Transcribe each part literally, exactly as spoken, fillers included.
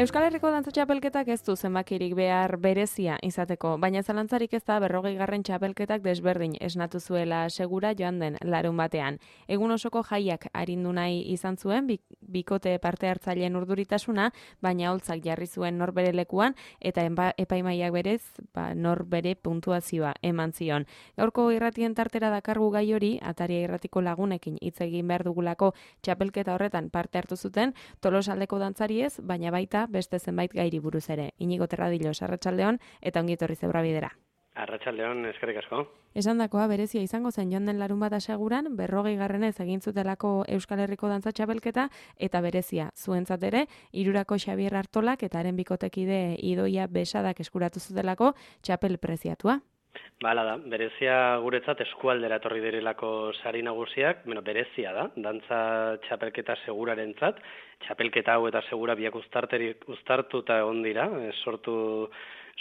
Euskal Herriko Dantza Txapelketak ez du zenbakirik behar berezia izateko, baina zalantzarik ez da berrogeigarren txapelketak desberdin esnatu zuela segura joan den larun batean. Egun osoko jaiak arindu nahi izan zuen, bikote parte hartzaileen urduritasuna, baina holtzak jarri zuen norbere lekuan, eta epaimaiak berez ba, norbere puntuazioa eman zion. Gaurko irratien tartera dakargu gai hori, Ataria irratiko lagunekin hitz egin behar dugulako txapelketa horretan parte hartu zuten, Tolosaldeko dantzariez, baina baita beste zenbait gairi buruz ere. Inigo Terradillos, arratsaldeon eta ongi etorri Zebrabidera. Arratsaldeon, eskerrik asko. Esandakoa berezia izango zen joan den larun bat aseguran, berrogeigarrenez egin zutelako Euskal Herriko Dantza Txapelketa eta berezia zuentzat ere, hirurako Xabier Artolak eta haren bikotekide Idoia Besadak eskuratu zutelako txapel preziatua. Bala da, berezia guretzat eskualdera etorri direlako sari nagusiak, bueno, berezia da, dantza txapelketa segurarentzat, txapelketa hau eta segura biak uztartuta egon dira, sortu,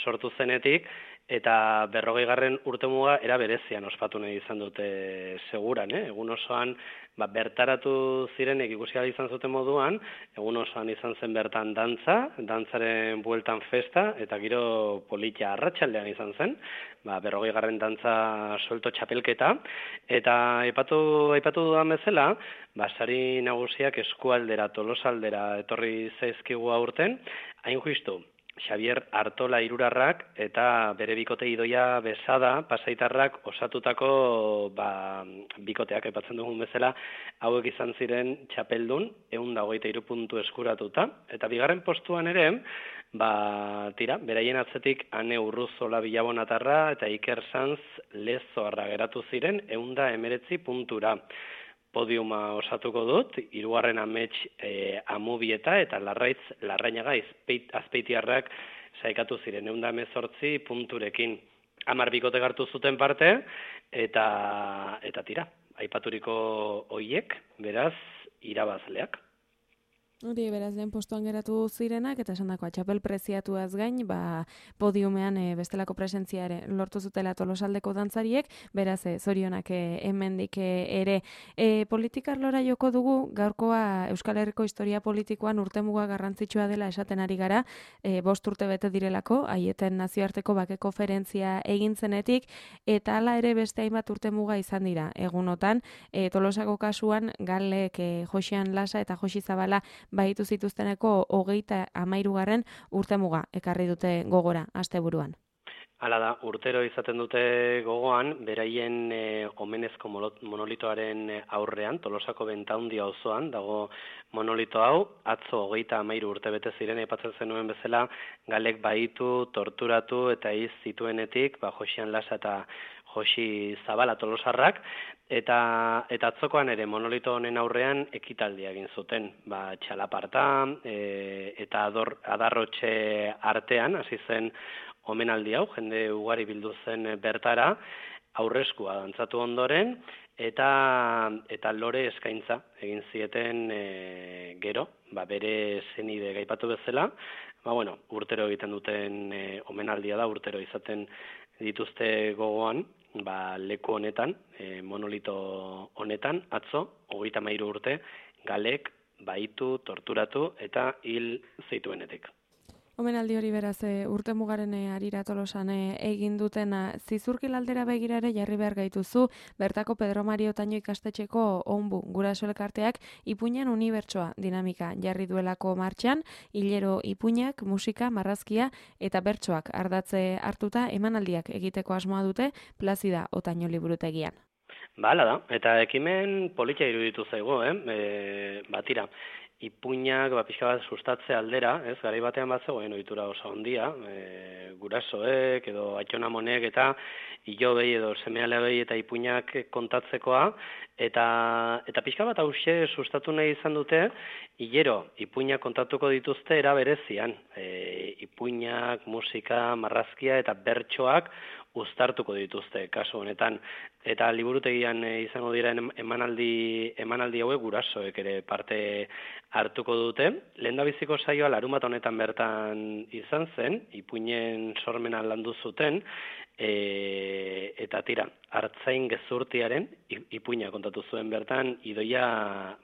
sortu zenetik, eta berrogeigarren urtemuga era berezian ospatu nahi izan dute seguran, eh? Egun osoan ba, bertaratu zirenek ikusi ahal izan zuten moduan, egun osoan izan zen bertan dantza, dantzaren bueltan festa, eta giro politia arratsaldean izan zen, ba, berrogeigarren dantza solto txapelketa, eta aipatu, aipatu dudan bezala, ba, sari nagusiak eskualdera, Tolosaldera etorri zaizkigu aurten, hain justu, Xabier Artola irurarrak eta bere bikote Idoia Besada pasaitarrak osatutako ba, bikoteak aipatzen dugun bezala hauek izan ziren txapeldun ehun eta hogeita hiru puntu eskuratuta. Eta bigarren postuan ere, ba, tira, beraien atzetik Ane Urruzola Bilabonatarra eta Iker Sanz Lezoarra geratu ziren ehun eta hemeretzi puntura. Podiuma osatuko dut, hirugarren amets e, Amubieta eta Larraitz Larrainaga Azpeitiarrak saikatu ziren ehun eta hemezortzi punturekin. Hamar bikote hartu zuten parte eta eta tira, aipaturiko hoiek, beraz, irabazleak. Hori, beraz, lehen postuan geratu zirenak, eta esan dakoa, txapel preziatuaz gain, ba, podiumean e, bestelako presentzia ere lortu zutela Tolosaldeko dantzariek, beraz, e, zorionak e, hemendik e, ere. E, politikarlora joko dugu, gaurkoa Euskal Herriko historia politikoan urtemuga garrantzitsua dela esaten ari gara, e, bost urte bete direlako, Aieten nazioarteko bake konferentzia egin zenetik, eta hala ere beste hainbat urtemuga izan dira. Egunotan, e, Tolosako kasuan, Galek, e, Josian Lasa eta Josi Zabala baitu zituzteneko hogeita hamairugarren urtemuga ekarri dute gogora asteburuan. Hala da, urtero izaten dute gogoan, beraien e, omenezko monolitoaren aurrean, Tolosako Bentaundia auzoan dago monolito hau, atzo hogeita hamairu urte bete ziren, aipatzen zenuen bezala, Galek baitu, torturatu eta iz zituenetik, ba, Josian Lasa eta Josi Zabala Tolosarrak, eta eta atzokoan ere monolito honen aurrean ekitaldia egin zuten, ba, txalaparta e, eta ador, adarrotxe artean, hasi zen omenaldi hau, jende ugari bildu zen bertara, aurreskua dantzatu ondoren, eta eta lore eskaintza egin zieten e, gero, ba, bere zenide gaipatu bezala, ba, bueno, urtero egiten duten e, omenaldia da, urtero izaten dituzte gogoan, ba, leku honetan, e, monolito honetan, atzo, hogeita hamairu urte, Galek baitu, torturatu eta hil zituenetik. Omenaldi hori beraz e, urtemugaren harira Tolosan e, egin dutena zizurkil aldera begira ere jarri behar gaituzu, bertako Pedro Mario Taño ikastetxeko onbu guraso elkarteak ipuinan unibertsoa dinamika jarri duelako martxan, hilero ipuinak, musika, marrazkia eta bertsoak ardatze hartuta emanaldiak egiteko asmoa dute Plazida Otaño liburutegian. Bala da, eta ekimen politia iruditu zaigu, eh? E, batira. Ipuinak ba, pixka bat sustatze aldera, ez, garai batean bat zegoen ohitura oso handia, e, gurasoek edo aitona-amonek eta ilobei edo seme-alabei eta ipuinak kontatzekoa, eta eta pixka bat hauxe sustatu nahi izan dute, hilero ipuinak kontatuko dituzte era berezian, e, ipuinak, musika, marrazkia eta bertsoak uztartuko dituzte kasu honetan. Eta liburutegian izango dira emanaldi, emanaldi hauek gurasoek ere parte hartuko dute. Lehendabiziko saioa larunbat honetan bertan izan zen, ipuinen sormena landu zuten, E, eta tira, Artzain gezurtiaren ipuina kontatu zuen bertan Idoia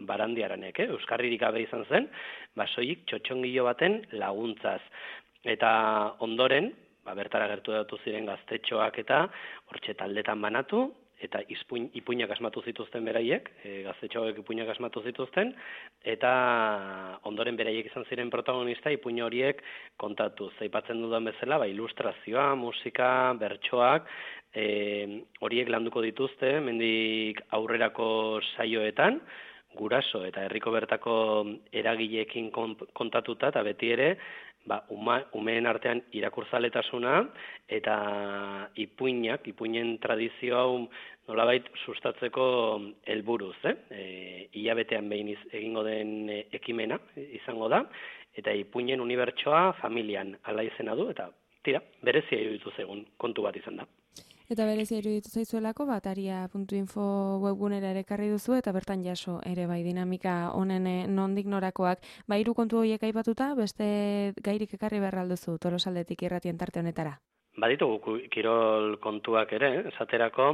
Barandiaranek, eh? Euskarririk gabe izan zen, basoik txotxongilo baten laguntzaz. Eta ondoren, ba, bertara gertu datu ziren gaztetxoak eta hortxe taldetan banatu, eta izpuin, ipuinak asmatu zituzten beraiek, e, gaztetxoak ipuinak asmatu zituzten, eta ondoren beraiek izan ziren protagonista ipuin horiek kontatu. Zaipatzen dudan bezala, ba, ilustrazioa, musika, bertsoak, e, horiek landuko dituzte, mendik aurrerako saioetan, guraso eta herriko bertako eragileekin kontatuta, eta beti ere, ba, uma, umeen artean irakurzaletasuna eta ipuinak, ipuinen tradizio hau nolabait sustatzeko helburuz, eh? E, hilabetean behin iz, egingo den ekimena izango da, eta ipuinen unibertsoa familian ala izena du, eta tira, berezia iruditu zegun kontu bat izan da. Eta berezia iruditu zaizuelako, bataria puntu info webgunera ere ekarri duzu, eta bertan jaso ere bai dinamika honen nondik norakoak. Ba, hiru kontu horiek aipatuta, beste gairik ekarri behar alduzu Tolosaldetik irratien tarte honetara. Baditugu kirol kontuak ere, esaterako,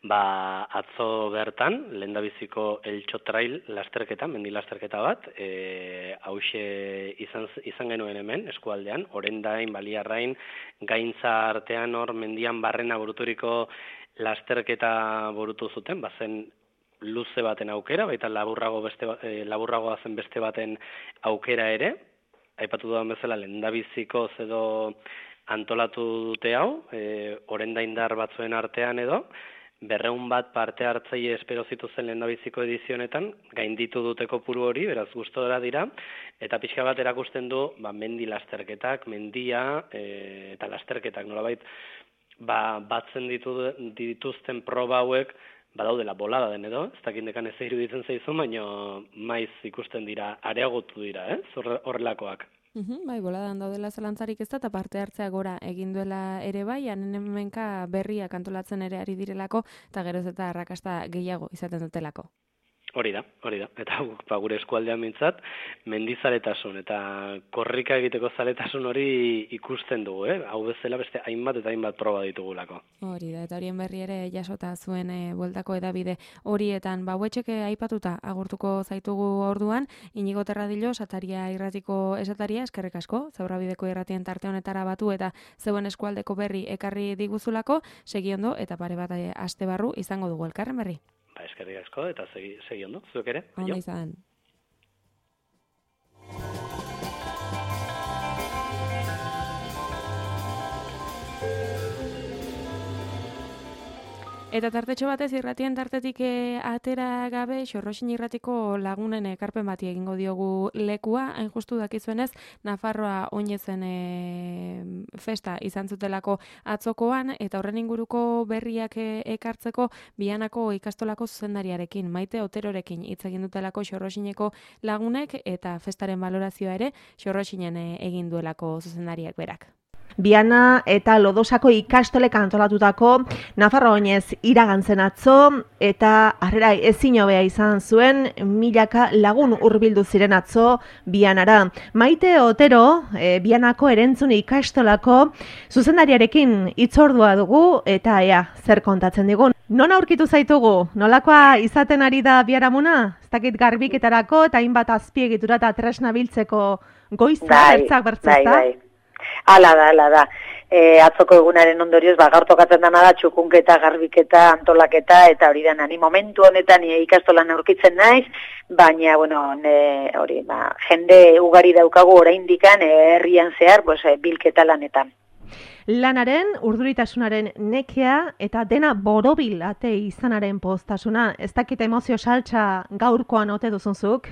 ba, atzo bertan, lehendabiziko Eltxo Trail lasterketa, mendi lasterketa bat, e, hause izan, izan genuen hemen, eskualdean, Orendain, Baliarrain, Gaintza artean hor mendian barrena buruturiko lasterketa burutu zuten, bazen luze baten aukera, baita laburrago beste, e, laburragoa zen beste baten aukera ere, aipatu dudan bezala lehendabiziko edo antolatu dute hau, e, orendaindar batzuen artean edo, berreun bat parte hartzaile espero zituzen lehendabiziko edizionetan, gainditu dute kopuru hori, beraz gustora dira, eta pixka bat erakusten du, ba, mendi lasterketak, mendia, e, eta lasterketak nolabait, ba, batzen ditu, dituzten proba hauek, badaudela bolada den edo, ez dakindekan ez iruditzen zaizu, baina maiz ikusten dira, areagotu dira, eh? Horrelakoak. Uhum, bai, boladan daudela zalantzarik ez da, eta parte hartzea gora egin duela ere bai, hanen hemenka berriak antolatzen ere ari direlako, eta geroz eta arrakasta gehiago izaten dutelako. Hori da, hori da. Eta ba, gure eskualdean mintzat, mendizaletasun eta korrika egiteko zaletasun hori ikusten dugu, eh? Hau bezala beste hainbat eta hainbat proba ditugulako. Hori da, eta horien berri ere jasota zuen e, bueltako edabide horietan. Ba, huetxeke aipatuta agurtuko zaitugu orduan, Inigo Terradillo, Sataria irratiko esataria, eskerrik asko, Zaurrabideko irratien tarte honetara batu eta zeuen eskualdeko berri ekarri diguzulako, segiondo eta pare bat aste barru izango dugu elkarren berri. Ba, eskerrik asko eta segi, segi ondo, zuek ere. Ona izan. Eta tartetxo batez irratien tartetik e, atera gabe, Xorroxin irratiko lagunen ekarpen bati egingo diogu lekua, hain justu dakizuenez, Nafarroa oinezen e, festa izan zutelako atzokoan, eta horren inguruko berriak e, ekartzeko Bianako ikastolako zuzendariarekin, Maite Oterorekin hitz egin dutelako Xorroxineko lagunek, eta festaren balorazioa ere Xorroxinen e, egin duelako zuzendariak berak. Biana eta Lodosako ikastolek antolatutako Nafarroa oinez iragantzen atzo eta harrera ezin hobea izan zuen milaka lagun hurbildu ziren atzo Bianara. Maite Otero, e, Bianako erentzun ikastolako zuzendariarekin hitzordua dugu eta ea zer kontatzen digun. Non aurkitu zaitugu? Nolakoa izaten ari da biharamuna? Ez dakit garbiketarako eta hainbat azpiegitura eta tresna biltzeko goiza bertzak bertzak da? Bai, bai. Ala da, ala da. E, atzoko egunaren ondorioz, ba, gaur tokatzen dana da, txukunketa, garbiketa, antolaketa, eta hori da, ni momentu honetan ni ikastolan aurkitzen naiz, baina, bueno, ne, hori, ba, jende ugari daukagu oraindikan herrian zehar, pues, bilketa lanetan. Lanaren, urduritasunaren nekea eta dena borobil ate izanaren poztasuna, ez dakit emozio saltza gaurkoan ote duzunzuk?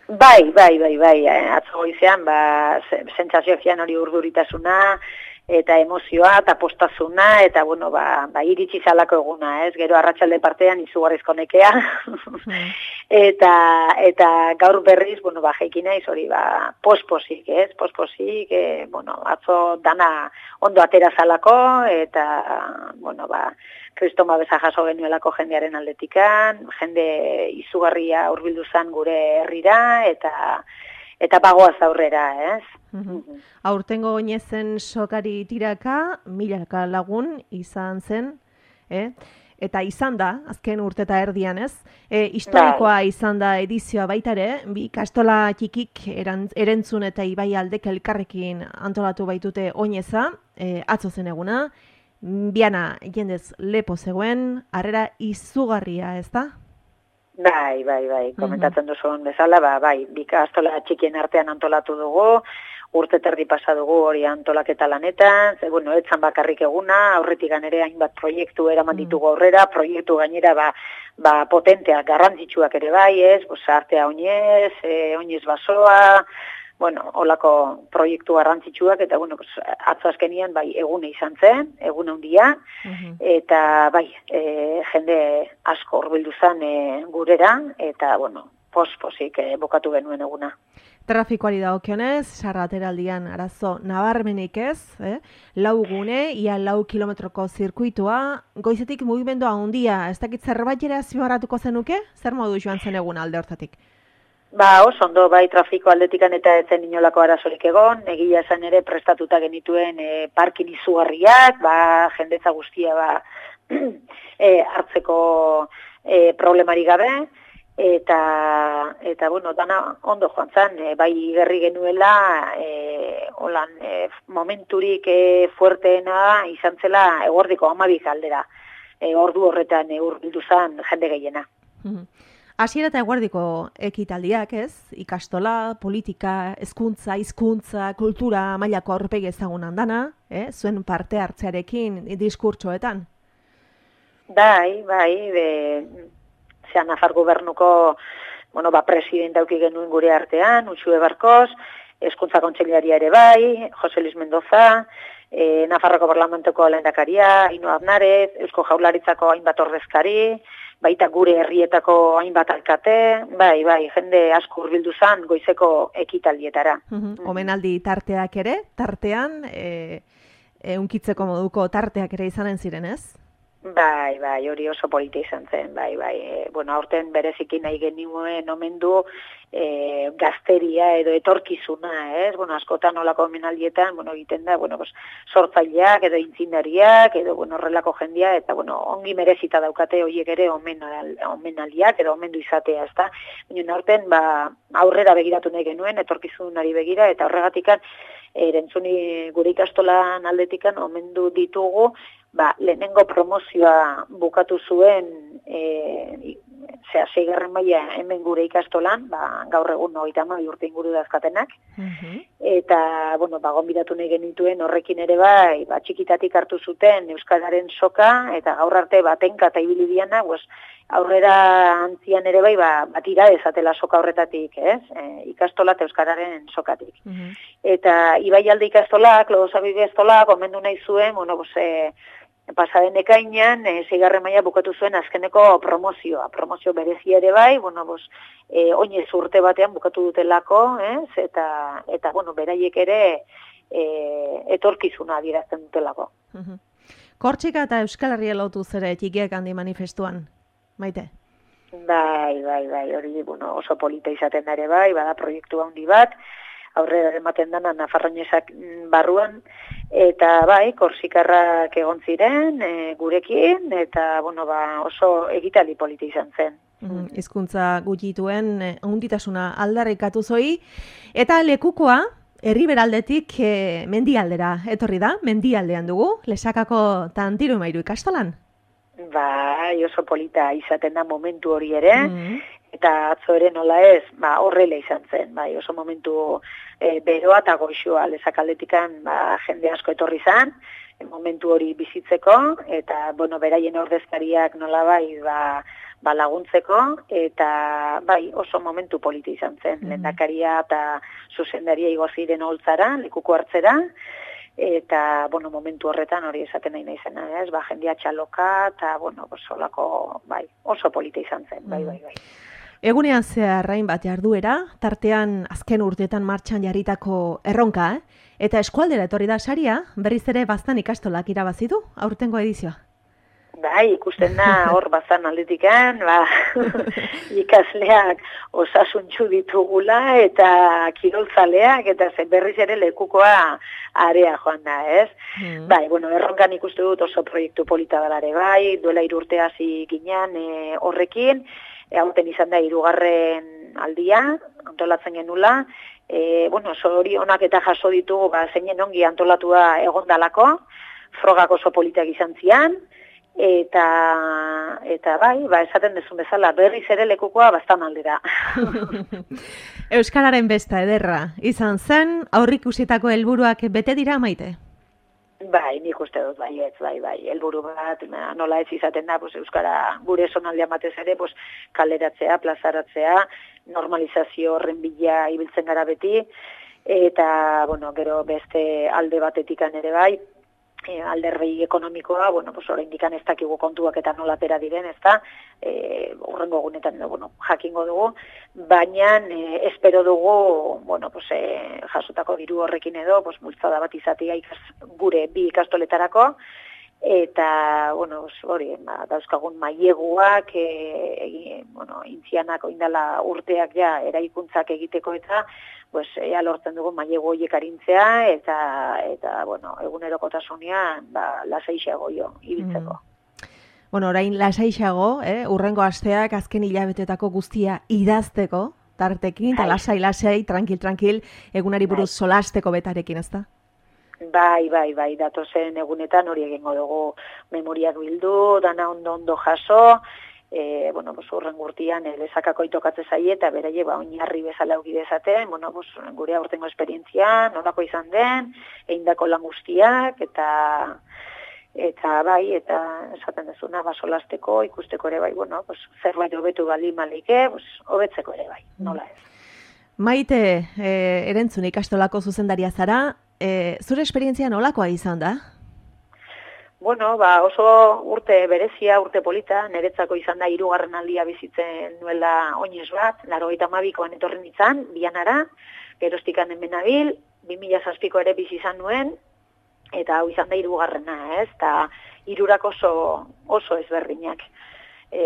Bai, bai, bai, bai, atzo goizean, ba, sentsazioak zian hori urduritasuna, eta emozioa, eta postazuna, eta, bueno, ba, ba iritsi zalako eguna, ez? Gero arratsalde partean izugarrizko nekea. eta, eta gaur berriz, bueno, ba, jeiki naiz hori, ba, posposik, ez? Posposik, e, bueno, atzo dana ondo atera zalako, eta, bueno, ba, kristoma beza jaso genuelako jendearen aldetikan, jende izugarria hurbildu zan gure herrira, eta eta bagoaz aurrera, ez? Mm-hmm. Aurtengo oinezen sokari tiraka, milaka lagun izan zen, eh? Eta izan da, azken urteta erdian, ez? E, historikoa izan da edizioa baita ere, bi kastola txikik erentzun eta Ibai aldek elkarrekin antolatu baitute oineza, e, atzo zen eguna, biana jendez lepo zegoen, harrera izugarria, ez da? Bai, bai, bai, komentatzen duzun bezala, ba, bai, bi kastola txikien artean antolatu dugu, urte terdi pasa dugu hori antolaketa lanetan, ze, bueno, etzan bakarrik eguna, aurretik ere hainbat proiektu eraman ditugu aurrera, proiektu gainera, ba, ba potenteak, garrantzitsuak ere bai, ez, pues, artea oinez, e, oinez basoa, bueno, holako proiektu garrantzitsuak, eta, bueno, pues, atzo azkenian, bai, egune izan zen, egun handia, eta, bai, e, jende asko hurbildu zen e, gurera, eta, bueno, pos-posik e, bukatu genuen eguna. Trafikoari dagokionez, sarrateraldian arazo nabarmenik ez, eh? Lau gune, ia lau kilometroko zirkuitua, goizetik mugimendua handia, ez dakit zerbait ere azpimarratuko zenuke? Zer modu joan zen egun alde hortatik? Ba, oso ondo, bai, trafiko aldetikan eta etzen inolako arazorik egon, egia esan ere prestatuta genituen e, parkin izugarriak, ba, jendetza guztia ba, e, hartzeko e, problemari gabe, eta, eta bueno, dana ondo joan zen, e, bai gerri genuela, e, holan, e, momenturik e, fuerteena izan zela eguerdiko amabik aldera, e, ordu horretan e, hurbildu zen jende gehiena. Hasiera eta eguerdiko ekitaldiak, ez? Ikastola, politika, hezkuntza, hizkuntza, kultura mailako aurpegi ezagunan dana, eh? Zuen parte hartzearekin diskurtsoetan. Bai, bai, be, zean Nafar gobernuko, bueno, ba, presidente auki genuen gure artean, Uxue Barkos, hezkuntza kontseilaria ere bai, Jose Luis Mendoza, e, Nafarroko Parlamentuko lehendakaria, Ino Aznarez, Eusko Jaurlaritzako hainbat ordezkari, baita gure herrietako hainbat alkate, bai, bai, jende asko hurbildu zan goizeko ekitaldietara. Omenaldi tarteak ere, tartean, e, e, unkitzeko moduko tarteak ere izanen ziren, ez? Bai, bai, hori oso polita izan zen, bai, bai. E, bueno, aurten bereziki nahi genuen omendu e, gazteria edo etorkizuna, ez? Bueno, askotan olako omenaldietan, bueno, egiten da, bueno, pues, sortzaileak edo intzindariak edo, bueno, horrelako jendia, eta, bueno, ongi merezita daukate horiek ere omenal, omenaldiak edo omendu izatea, ez da? Baina aurten, ba, aurrera begiratu nahi genuen, etorkizunari begira, eta horregatikan, erentzuni gure ikastolan aldetikan omendu ditugu, ba, lehenengo promozioa bukatu zuen e, zera, seigarren maila hemen gure ikastolan, ba, gaur egun hogeita hamabi urte inguru dazkatenak, uh-huh. Eta, bueno, ba, gonbidatu nahi genituen horrekin ere bai, ba, txikitatik hartu zuten Euskararen soka, eta gaur arte batenka eta ibili diana, pues, aurrera antzian ere bai, ba, batira dezatela soka horretatik, ez? E, ikastola eta Euskararen sokatik. Uh-huh. Eta Ibai alde ikastolak, Lodosabide estolak, omendu nahi zuen, bueno, pues, e, pasaden ekainean, e, zeigarren maila bukatu zuen azkeneko promozioa. Promozio berezia ere bai, bueno, pues, e, oinez urte batean bukatu dutelako, ez? Eta, eta bueno, beraiek ere e, etorkizuna adierazten dutelako. Uh-huh. Kortxika eta Euskal Herria lotu zere txikiak handi manifestuan, Maite? Bai, bai, bai, hori bueno, oso polita izaten da ere bai, bada proiektu handi bat, aurrera ematen dana Nafarroñesak barruan, eta bai, korsikarrak egon ziren e, gurekin, eta bueno, ba, oso egitali polita izan zen. Hizkuntza mm, gutxituen hunditasuna aldarrikatu zoi, eta lekukoa, herriberaldetik e, mendialdera etorri da, mendialdean dugu, Lesakako Tantiru Mairu ikastolan. Bai, oso polita izaten da momentu hori ere, mm. Eta atzo ere nola ez, ba, horrela izan zen, bai, oso momentu e, beroa eta goixoa Lesakaldetikan ba, jende asko etorri zen, e, momentu hori bizitzeko, eta, bueno, beraien ordezkariak nola bai, ba, ba laguntzeko, eta bai, oso momentu polita izan zen, mm. lehendakaria eta zuzendaria igo ziren holtzara, lekuko hartzera, eta, bueno, momentu horretan hori esaten nahi naizena, ez, ba, jendia txaloka, eta, bueno, solako, bai, oso polita izan zen, bai, bai, bai. Egunean zehar hainbat jarduera, tartean azken urteetan martxan jarritako erronka, eh? Eta eskualdera etorri da saria, berriz ere baztan ikastolak irabazi du, aurtengo edizioa. Bai, ikusten da hor bazan aldetikan, ba, ikasleak osasuntxu ditugula eta kirolzaleak eta berriz ere lekukoa area joan da, ez? Mm. Bai, bueno, erronkan ikustu dut oso proiektu polita dalare bai, duela irurte hasi ginean e, horrekin, e, hauten izan da hirugarren aldia, antolatzen genula, e, bueno, hori onak eta jaso ditugu, ba, zeinen ongi antolatua egondalako, frogak oso politak izan zian, eta eta bai, ba esaten dezun bezala, berriz ere lekukoa bastan aldera. Euskararen besta ederra izan zen, aurrikusietako helburuak bete dira Maite? Bai, nik uste dut, bai, ez, bai, bai, helburu bat, nola ez izaten da, pues, euskara gure zonaldean batez ere, pues, kaleratzea, plazaratzea, normalizazio horren bila ibiltzen gara beti, eta, bueno, gero beste alde batetikan ere bai, E, alderrei ekonomikoa, bueno, pues oraindik ez dakigu kontuak eta nola atera diren, ezta? Eh, urrengo egunetan bueno, jakingo dugu, baina e, espero dugu, bueno, pues e, jasotako diru horrekin edo, pues multzada bat izatea ikas, gure bi ikastoletarako eta bueno, hori, ba, dauzkagun maileguak e, e, bueno, intzianak oindala urteak ja eraikuntzak egiteko eta pues ea lortzen dugu mailegu horiek arintzea eta eta bueno, egunerokotasunean ba lasaixago jo ibiltzeko. Mm. Bueno, orain lasaixago, eh, urrengo asteak azken hilabetetako guztia idazteko tartekin eta lasai lasai, tranquil tranquil, egunari buruz bai. Solasteko betarekin, ezta? Bai, bai, bai, datozen egunetan hori egingo dugu memoriak bildu, dana ondo ondo jaso. E, bueno, pues, urren gurtian e, lezakako itokatze zaie eta beraie ba, oinarri bezala auki dezaten, bueno, pues, gure aurtengo esperientzia, nolako izan den, eindako lan guztiak, eta eta bai, eta esaten dezuna, ba, solasteko, ikusteko ere bai, bueno, pues, zerbait hobetu bali malike, pues, hobetzeko ere bai, nola ez. Maite, e, erentzun ikastolako zuzendaria zara, e, zure esperientzia nolakoa izan da? Bueno, ba, oso urte berezia, urte polita, niretzako izan da hirugarren aldia bizitzen nuela oinez bat, laurogeita hamabikoan etorri nintzen, bianara, geroztikan hemen nabil, bi mila zazpiko ere bizi izan nuen, eta hau izan da hirugarrena, ez? Eta hirurak oso, oso ezberdinak. E,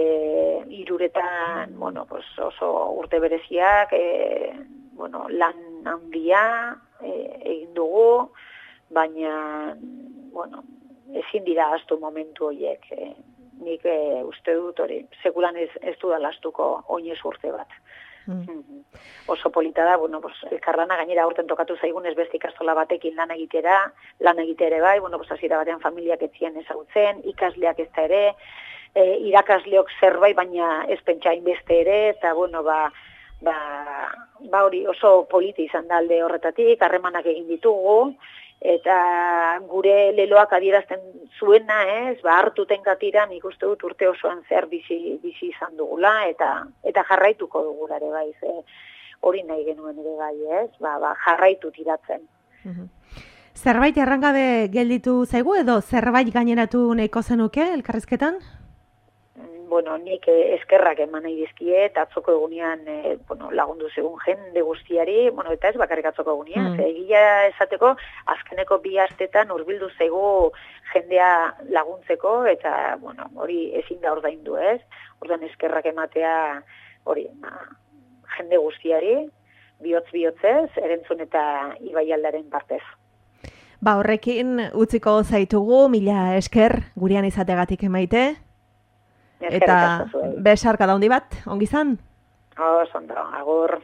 hiruretan, bueno, pues oso urte bereziak, e, bueno, lan handia e, egin dugu, baina, bueno, ezin dira astu momentu horiek. E, nik e, uste dut hori, sekulan ez, ez dudala astuko oinez urte bat. Mm. Mm-hmm. Oso polita da, bueno, pues, elkarlana gainera aurten tokatu zaigun ez beste ikastola batekin lan egitera, lan egitere bai, bueno, pues, hasiera batean familiak etzien ezagutzen, ikasleak ez da ere, e, irakasleok zerbait, baina ez pentsain beste ere, eta bueno, ba, ba, ba hori oso polita izan da alde horretatik, harremanak egin ditugu, eta gure leloak adierazten zuena, ez, ba, hartuten katira nik uste dut urte osoan zer bizi, bizi izan dugula, eta eta jarraituko dugula ere bai, ze hori nahi genuen ere bai, ez, ba, ba, jarraitu tiratzen. Mhm. Zerbait errangabe gelditu zaigu edo zerbait gaineratu nahiko zenuke elkarrizketan? Bueno, nik eskerrak eman nahi dizkie, eta atzoko egunean e, bueno, lagundu zegun jende guztiari, bueno, eta ez bakarrik atzoko egunean, mm. egia esateko, azkeneko bi astetan hurbildu zaigu jendea laguntzeko, eta bueno, hori ezin da ordaindu, ez? Ordan eskerrak ematea hori, ba, jende guztiari, bihotz-bihotzez, erentzun eta ibaialdaren partez. Ba, horrekin utziko zaitugu, mila esker, gurean izategatik Maite. Eta besarka da handi bat, ongi zan? Oh, ondo, agur.